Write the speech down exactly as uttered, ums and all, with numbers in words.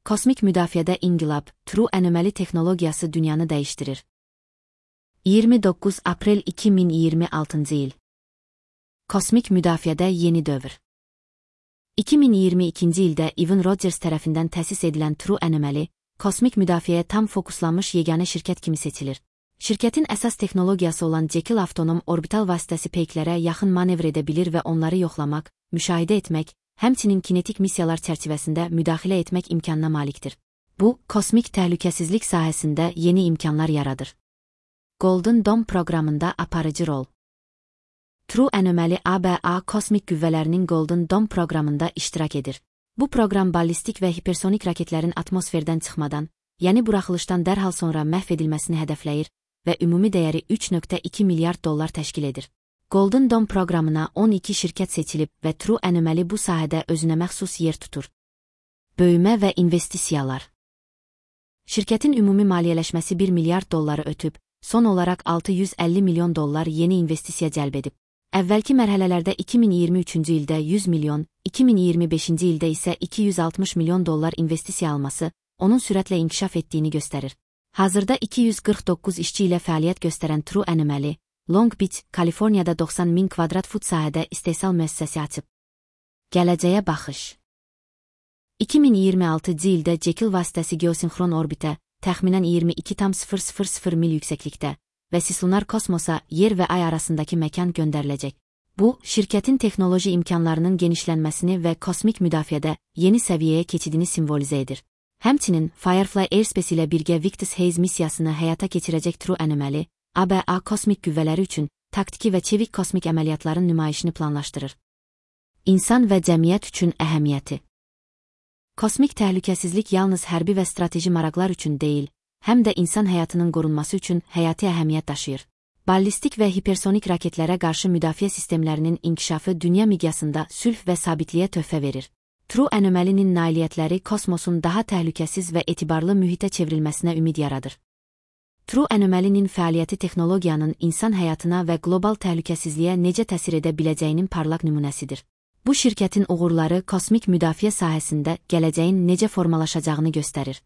kosmik müdafiədə inqilab, True Anomaly texnologiyası dünyanı dəyişdirir. iyirmi doqquz aprel iki min iyirmi altıncı il. Kosmik müdafiədə yeni dövr. iki min iyirmi ikinci ildə Evan Rogers tərəfindən təsis edilən True Anomaly, kosmik müdafiəyə tam fokuslanmış yeganə şirkət kimi seçilir. Şirkətin əsas texnologiyası olan Jekyll avtonom orbital vasitəsi peyklərə yaxın manevr edə bilir və onları yoxlamaq, müşahidə etmək, həmçinin kinetik missiyalar çərçivəsində müdaxilə etmək imkanına malikdir. Bu, kosmik təhlükəsizlik sahəsində yeni imkanlar yaradır. Golden Dome proqramında aparıcı rol. True Anomaly A B A kosmik qüvvələrinin Golden Dome proqramında iştirak edir. Bu proqram ballistik və hipersonik raketlərin atmosferdən çıxmadan, yəni buraxılışdan dərhal sonra məhv edilməsini hədəfləyir və ümumi dəyəri üç nöqtə iki milyard dollar təşkil edir. Golden Dome proqramına on iki şirkət seçilib və True Anomaly bu sahədə özünə məxsus yer tutur. Böyümə və investisiyalar. Şirkətin ümumi maliyyələşməsi bir milyard dolları ötüb, son olaraq altı yüz əlli milyon dollar yeni investisiya cəlb edib. Əvvəlki mərhələlərdə iki min iyirmi üçüncü ildə yüz milyon, iki min iyirmi beşinci ildə isə iki yüz altmış milyon dollar investisiya alması, onun sürətlə inkişaf etdiyini göstərir. Hazırda iki yüz qırx doqquz işçi ilə fəaliyyət göstərən True Anomaly, Long Beach, Kaliforniyada doxsan min kvadrat fut sahədə istehsal müəssisəsi açıb. Gələcəyə baxış. iki min iyirmi altıncı ildə Jekyll vasitəsi geosinxron orbitə, təxminən iyirmi iki tam sıfır sıfır sıfır mil yüksəklikdə və sislunar kosmosa, yer və ay arasındakı məkan göndəriləcək. Bu, şirkətin texnoloji imkanlarının genişlənməsini və kosmik müdafiədə yeni səviyyəyə keçidini simvolizə edir. Həmçinin, Firefly Airspace ilə birgə Victus Haze missiyasını həyata keçirəcək True Anomaly, A B A kosmik qüvvələri üçün taktiki və çevik kosmik əməliyyatların nümayişini planlaşdırır. İnsan və cəmiyyət üçün əhəmiyyəti. Kosmik təhlükəsizlik yalnız hərbi və strateji maraqlar üçün deyil, həm də insan həyatının qorunması üçün həyati əhəmiyyət daşıyır. Ballistik və hipersonik raketlərə qarşı müdafiə sistemlərinin inkişafı dünya miqyasında sülh və sabitliyə töhfə verir. True Anomaly'nin nailiyyətləri kosmosun daha təhlükəsiz və etibarlı mühitə çevrilməsinə ümid yaradır. True Anomaly'nin fəaliyyəti texnologiyanın insan həyatına və qlobal təhlükəsizliyə necə təsir edə biləcəyinin parlaq nümunəsidir. Bu şirkətin uğurları kosmik müdafiə sahəsində gələcəyin necə formalaşacağını göstərir.